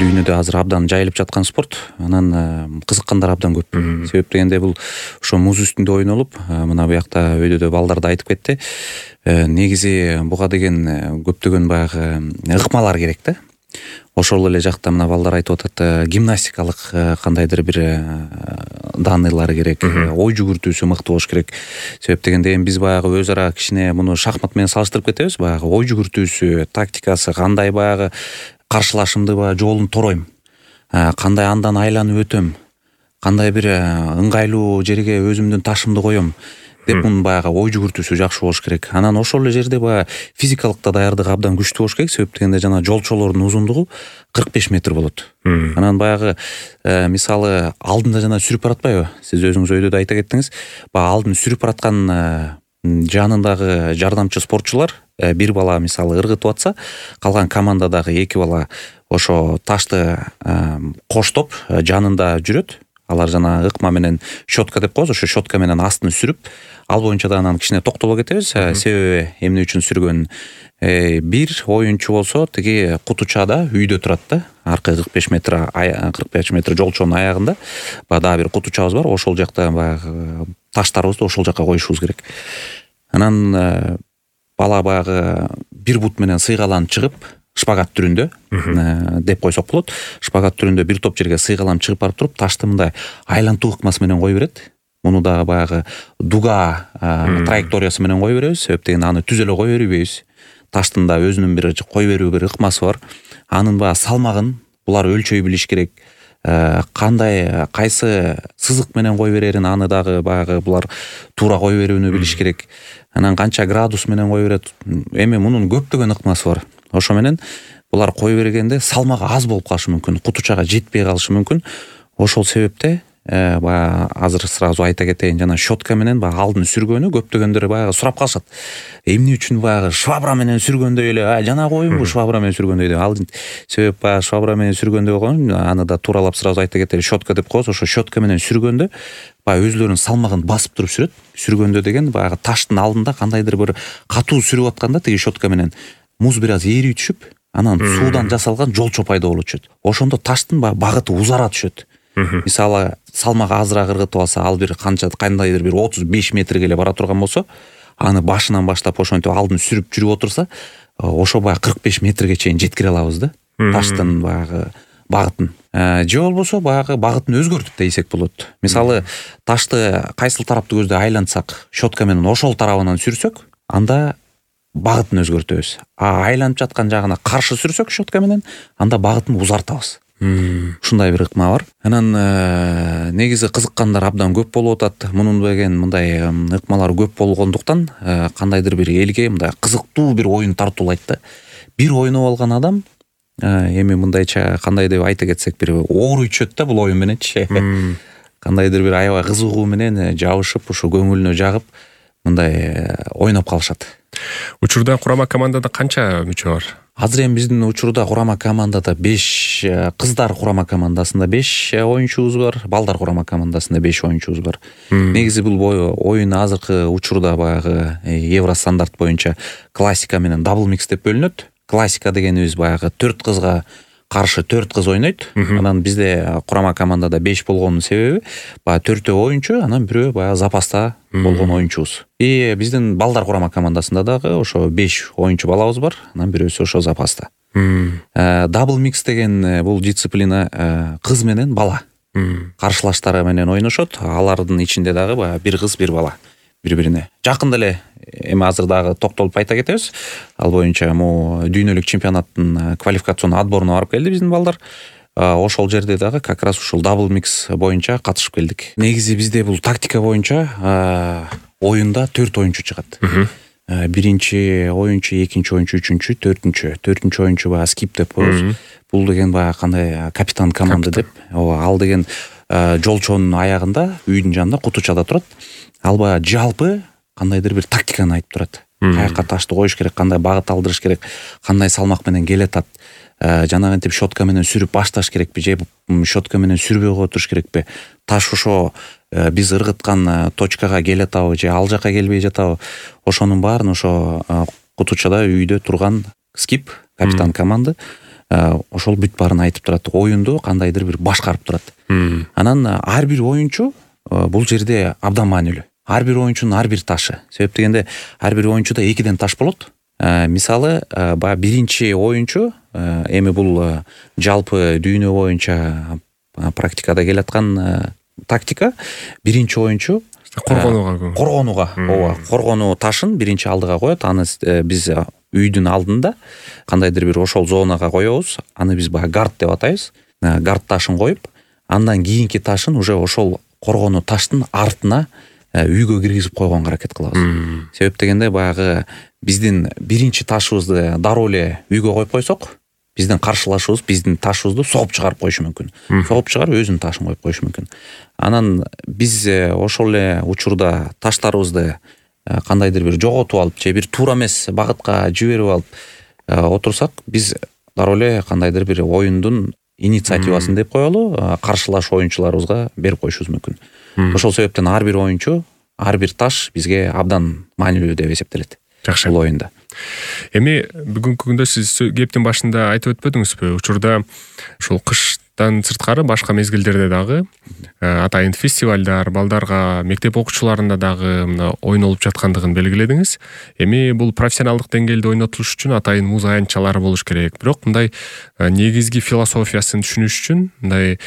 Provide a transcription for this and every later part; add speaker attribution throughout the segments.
Speaker 1: дүйнөдө азыр абдан жайылып жаткан спорт. Анан кызыккандар абдан көп. Себеп дегенде бул ошо муз үстүндө ойнолуп, мына буякта өйдөдө балдар да айтып кетти. Негизи буга деген көптөгөн баягы ыкмалар керек да. Ошол эле жакта мына балдар айтып атат, гимнастикалык кандайдыр бир даныйлар керек, ой жүгүртүүсү мыкты болуш керек. Себеп дегенде биз баягы өз ара кичине муну шахмат менен салыштырып кетебиз. Баягы ой жүгүртүүсү, тактикасы, кандай баягы каршылашымды жолун торойм, кандай андан айланып өтөм, кандай бир ыңгайлуу жерге өзүмдүн ташымды коем деп мунун баягы ой жүгүртүүсү жакшы болуш керек. Анан ошол эле жерде баягы физикалык да даярдык абдан күчтүү болуш керек. Себеп дегенде жана жолчолордун узундугу 45 метр болот. Анан баягы мисалы алдында жана сүрүп баратпайбы? Сиз өзүңүз өйдөдө айта кеттиңиз. Баягы алдын сүрүп бараткан жанындагы жардамчы спортчулар бир бала мисалы ыргытып атса, калган командадагы эки бала ошо ташты коштоп жанында жүрөт. Алар жана ыкма менен щетка деп коебуз, ошо щетка менен астын сүрүп, ал боюнча да анан кичине токтоло кетебиз. Себеби эмне үчүн сүргөн? Бир оюнчу болсо тиги кутучада үйдө турат да. Аркы 45 метр жолчонун аягында баягы дагы бир кутучабыз бар. Ошол жакта баягы таштарыбызды ошол жакка коюшубуз керек. Анан бала баягы бир бут менен сыйгаланып чыгып, шпагат түрүндө деп койсок болот. Шпагат түрүндө бир топ жерге сыйгаланып чыгып барып туруп, ташты мындай айлантуу ыкмасы менен кое берет. Муну дагы баягы дуга траекториясы менен кое беребиз. Себеп дегенде аны түз эле кое бербейбиз. Таштын да өзүнүн бир кое берүү бир ыкмасы бар. Анын баягы салмагын булар өлчөй билиш керек. Кандай кайсы сызык менен кое берерин аны дагы баягы булар туура кое берүүнү билиш керек. Анан канча градус менен кое берет. Эми мунун көптөгөн ыкмасы бар. Ошо менен булар кое бергенде салмагы аз болуп калышы мүмкүн, кутучага жетпей калышы мүмкүн. Ошол себепте баягы азыр сразу айта кетейин, жана щетка менен баягы алдын сүргөнү көптөгөндөр баягы сурап калышат. Эмне үчүн баягы швабра менен сүргөндөй эле жана коюмбу швабра менен сүргөндөй деп. Ал себеп баягы швабра менен сүргөндөй болгон, аны да тууралап сразу айта кетели, щетка деп коебуз. Ошо щетка менен сүргөндө баягы өзлөрүнүн салмагын басып туруп сүрөт. Сүргөндө деген баягы таштын алдында кандайдыр бир катуу сүрүп атканда тиги щетка менен муз бир аз ээри түшүп, анан суудан жасалган жолчо пайда болуп түшөт. Ошондо таштын багыты узара түшөт. Мисалы салмагы азыраак ыргытып алса, ал бир кандайдыр бир 35 метрге эле бара турган болсо, аны башынан баштап ошентип алдын сүрүп жүрүп отурса, ошо баягы 45 метрге чейин жеткире алабыз да. Таштын баягы багытын. Же болбосо баягы багытын өзгөртүп дейсек болот. Мисалы ташты кайсыл тарапты көздөй айлантсак, щетка менен ошол тарабынан сүрсөк, анда багытын өзгөртөбүз. Айланып жаткан жагына каршы сүрсөк щетка менен, анда багытын узартабыз. Ушундай бир ыкма бар. Анан негизи кызыккандар абдан көп болуп атат. Мунун деген мындай ыкмалар көп болгондуктан кандайдыр бир элге мындай кызыктуу бир оюн тартуулайт да. Бир ойноп алган адам эми мындайча кандай деп айта кетсек, бир ооруй түшөт да бул оюн мененчи. Кандайдыр бир аябай кызыгуу менен жабышып, ошо көңүлүнө жагып мындай ойноп калышат.
Speaker 2: Учурда курама командада канча мүчө бар?
Speaker 1: Азыр эми биздин учурда курама командада 5, кыздар курама командасында 5 оюнчубуз бар, балдар курама командасында 5 оюнчубуз бар. Негизи бул оюн азыркы учурда баягы евро стандарт боюнча классика менен дабл микс деп бөлүнөт. Классика дегенибиз баягы 4 кызга каршы 4 кыз ойнойт. Анан бизде курама командада 5 болгонун себеби баягы 4 оюнчу, анан бирөө баягы запаста болгон оюнчубуз. Биздин балдар курама командасында дагы ошо 5 оюнчу балабыз бар, анан бирөөсү ошо запаста. Дабл микс деген бул дисциплина кыз менен бала каршылаштары менен ойношот. Алардын ичинде дагы баягы бир кыз, бир бала бири-бирине. Жакында эле эми азыр дагы токтолуп айта кетебиз. Ал боюнча дүйнөлүк чемпионаттын квалификацион отборуна барып келди биздин балдар. Ошол жерде дагы как раз ушул дабл микс боюнча катышып келдик. Негизи бизде бул тактика боюнча оюнда 4 оюнчу чыгат. Биринчи оюнчу, экинчи оюнчу, үчүнчү, төртүнчү оюнчу баягы скип деп коебуз. Бул деген баягы кандай капитан команды деп. Ал деген жолчонун аягында, үйдүн жанында кутучада турат. Ал баягы жалпы кандайдыр бир тактиканы айтып турат. Каяка ташты коюш керек, кандай багыт алдырыш керек, кандай салмак менен келатат. Жанагынтип щетка менен сүрүп башташ керекпи, же щетка менен сүрбөй кое туруш керекпи? Таш ошо биз ыргыткан точкага келатабы, же ал жака келбей жатабы? Ошонун баарын ошо кутучада үйдө турган скип, капитан команды ошол бүт баарын айтып турат, оюнду кандайдыр бир башкарып турат. Анан ар бир оюнчу бул жерде абдан маанилүү. Ар бир оюнчунун ар бир ташы. Себеп дегенде ар бир оюнчуда экиден таш болот. Мисалы, баягы биринчи оюнчу, эми бул жалпы дүйнө боюнча практикада келаткан тактика, биринчи оюнчу коргонууга, ооба, коргонуу ташын биринчи алдыга коет. Аны биз үйдүн алдында кандайдыр бир ошол зонага коебуз. Аны биз баягы гард деп атайбыз. Гард ташын коюп, андан кийинки ташын уже ошол коргонуу таштын артына үйгө киргизип койгонго аракет кылабыз. Себеп дегенде баягы биздин биринчи ташыбызды дароо эле үйгө коюп койсок, биздин каршылашыбыз биздин ташыбызды согуп чыгарып коюшу мүмкүн. Согуп чыгарып өзүнүн ташын коюп коюшу мүмкүн. Анан биз ошол эле учурда таштарыбызды кандайдыр бир жоготуп алып же бир туура эмес багытка жиберип алып отурсак, биз дароо эле кандайдыр бир оюндун инициативасын деп коелу, каршылаш оюнчуларыбызга берип коюшубуз мүмкүн. Ошол себептен ар бир оюнчу, ар бир таш бизге абдан маанилүү деп эсептелет.
Speaker 2: Жакшы.
Speaker 1: Бул оюнда.
Speaker 2: Эми бүгүнкү күндө сиз кептин башында айтып өтпөдүңүзбү? Учурда ушул кыштан сырткары башка мезгилдерде дагы атайын фестивалдар, балдарга, мектеп окуучуларында дагы мына ойнолуп жаткандыгын белгиледиңиз. Эми бул профессионалдык деңгээлде ойнотулуш үчүн атайын муз аянтчалары болуш керек. Бирок мындай негизги философиясын түшүнүш үчүн мындай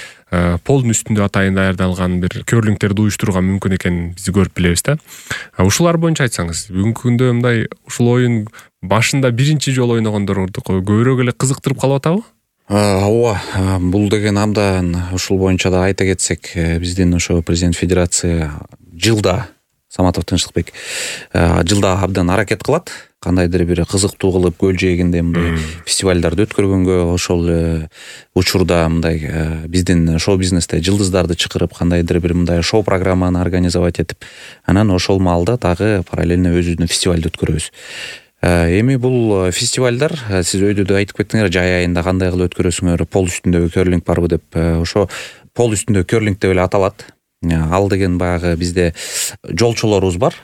Speaker 2: полдун үстүндө атайын даярдалган бир көрлүңдөрдү уюштурууга мүмкүн экенин биз көрүп билебиз да. Ушулар боюнча айтсаңыз, бүгүнкү күндө мындай ушул оюн башында биринчи жолу ойногондорду көбүрөөк эле кызыктырып калып атабы?
Speaker 1: Ооба, бул деген абдан ушул боюнча да айта кетсек, биздин ошо президент федерация жылда, Саматов Тынчтыкбек жылда абдан аракет кылат. Кандайдыр бир кызыктуу кылып көл жээгинде мындай фестивалдарды өткөргөнгө, ошол учурда мындай биздин шоу бизнесте жылдыздарды чакырып кандайдыр бир мындай шоу программаны организовать этип, анан ошол маалда дагы параллельно өзүбүздүн фестивалды өткөрөбүз. Эми бул фестивалдар, сиз өйдө да айтып кеттиңер, жай айында кандай кылып өткөрөсүңөр, пол үстүндөгү керлинг барбы деп. Ошо пол үстүндөгү керлинг деп эле аталат. Ал деген баягы бизде жолчолорубуз бар.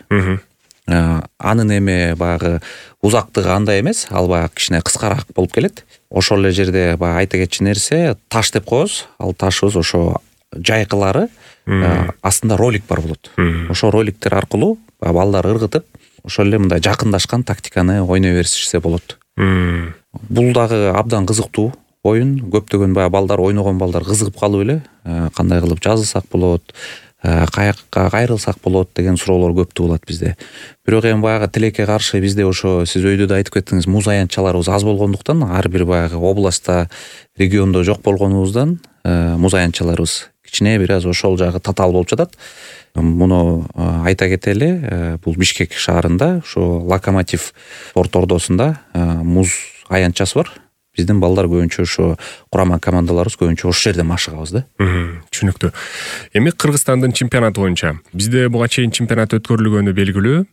Speaker 1: Анын эми баягы узактыгы андай эмес, ал баягы кичине кыскараак болуп келет. Ошол эле жерде баягы айта кетчү нерсе, таш деп коебуз. Ал ташыбыз ошо жайкылары астында ролик бар болот. Ошо роликтер аркылуу балдар ыргытып, ошол эле мындай жакындашкан тактиканы ойной беришсе болот. Бул дагы абдан кызыктуу оюн. Көптөгөн баягы балдар, ойногон балдар кызыгып калып эле, кандай кылып жазылсак болот, каякка кайрылсак болот деген суроолор көп туулат бизде. Бирок эми баягы тилекке каршы бизде ошо сиз өйдө да айтып кеттиңиз, муз аянтчаларыбыз аз болгондуктан, ар бир баягы областта, региондо жок болгонубуздан муз аянтчаларыбыз кичине бир аз ошол жагы татаал болуп жатат. Муну айта кетели, бул Бишкек шаарында, ошо Локомотив спорт ордосунда муз аянтчасы бар. Биздин балдар көбүнчө ошо курама командаларыбыз көбүнчө ошол жерде машыгабыз да.
Speaker 2: Түшүнүктүү. Эми Кыргызстандын чемпионаты боюнча бизде буга чейин чемпионат өткөрүлгөнү белгилүү.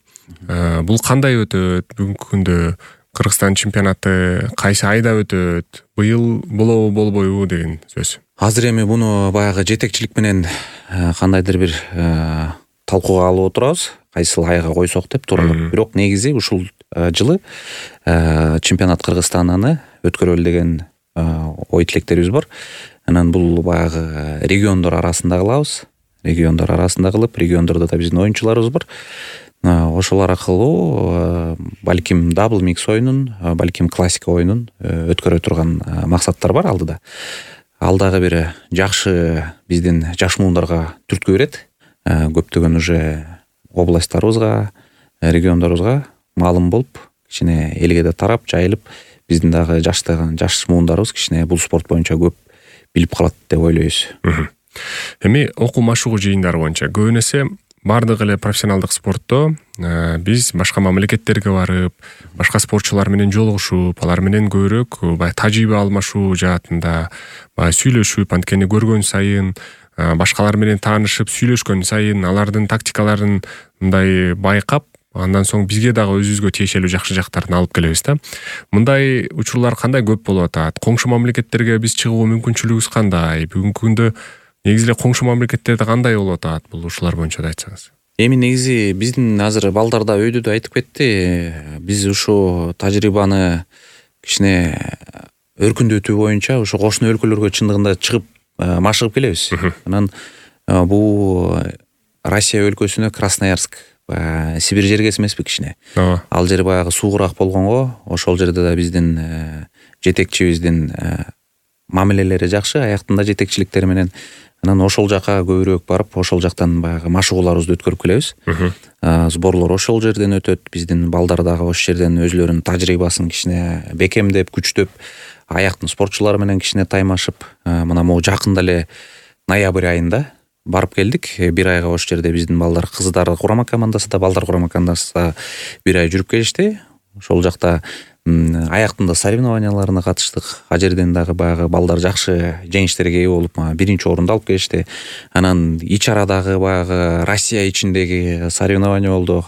Speaker 2: Бул кандай өтөт? Бүгүнкү күндө Кыргызстан чемпионаты кайсы айда өтөт? Быйыл болобу болбойбу деген сөз.
Speaker 1: Азыр эми буну баягы жетекчилик менен кандайдыр бир талкууга алып отурабыз. Кайсыл айга койсок деп тууралап. Бирок негизи ушул жылы чемпионат Кыргызстанданы өткөрөлү деген ой тилектерибиз бар. Анан бул баягы региондор арасында кылабыз. Региондор арасында кылып, региондордо да биздин оюнчуларыбыз бар. Ошолор аркылуу балким дабл микс оюнун, балким классика оюнун өткөрө турган максаттар бар алдыда. Ал дагы бир жакшы биздин жаш муундарга түрткү берет. Көптөгөн уже областтарыбызга, региондорубузга маалым болуп, кичине элге да тарап, жайылып, биздин дагы жаш муундарыбыз кичине бул спорт боюнча көп билип калат деп ойлойбуз.
Speaker 2: Эми окуу машыгуу жыйындары боюнча көбүн эсе бардык эле профессионалдык спортто биз башка мамлекеттерге барып, башка спортчулар менен жолугушуп, алар менен көбүрөөк баягы тажрыйба алмашуу жаатында баягы сүйлөшүп, анткени көргөн сайын, башкалар менен таанышып, сүйлөшкөн сайын алардын тактикаларын мындай байкап, андан соң бизге дагы өзүбүзгө тиешелүү жакшы жактарын алып келебиз да. Мындай учурлар кандай көп болуп атат? Коңшу мамлекеттерге биз чыгуу мүмкүнчүлүгүбүз кандай? Бүгүнкү күндө негизи эле коңшу мамлекеттерде кандай болуп атат? Бул ушулар боюнча да айтсаңыз.
Speaker 1: Эми негизи биздин азыр балдар да өйдө да айтып кетти. Биз ушу тажрыйбаны кичине өркүндөтүү боюнча ошо кошуна өлкөлөргө чындыгында чыгып машыгып келебиз. Анан бул Россия өлкөсүнө Красноярск, Сибирь жергеси эмеспи кичине. Ал жер баягы суугураак болгонго, ошол жерде да биздин жетекчибиздин мамилелери жакшы, аяктында жетекчиликтери менен. Анан ошол жака көбүрөөк барып, ошол жактан баягы машыгууларыбызды өткөрүп келебиз. Сборлор ошол жерден өтөт, биздин балдар дагы ошол жерден өзлөрүнүн тажрыйбасын кичине бекемдеп, күчтөп, аяктын спортчулары менен кичине таймашып, мына могу жакында эле ноябрь айында барып келдик. Бир айга ошол жерде биздин балдар, кыздар курама командасы да, балдар курама командасы да бир ай жүрүп келишти. Ошол жакта аяктында соревнованияларына катыштык. А жерден дагы баягы балдар жакшы жеңиштерге ээ болуп, биринчи орунду алып келишти. Анан ич арадагы баягы Россия ичиндеги соревнования болду.